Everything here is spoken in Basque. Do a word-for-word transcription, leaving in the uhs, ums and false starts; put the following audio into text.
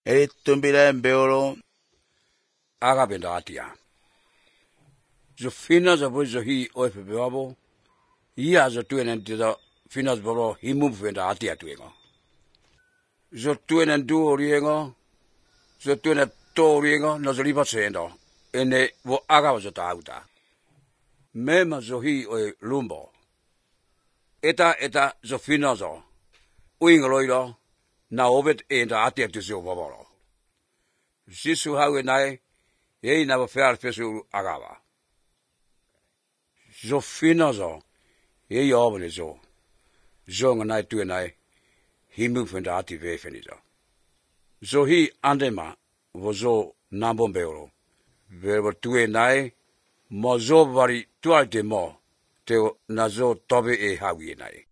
E tumbira beolo. Aga bendatia. The finas of which he or Beabo. He has a twin and the finas boro, he moved when the atia twingo. The twin and do riengo. The twin at Toriengo, no the river sendo. And the wo aga was at auta. Mema zohi o lumbo. Eta eta zo finazo. Uingoloido. Na obet in the atia to zo bobolo. Sisu how and I, ye never fair fesu agava. Zo finazo. Ye yobble zo. Zong and I two and I. He moved from the ati vefenizo. So he andema was zo nambombero. There were two and I. Mozo vari tualte mo. Te nazo tobe e hawi nai.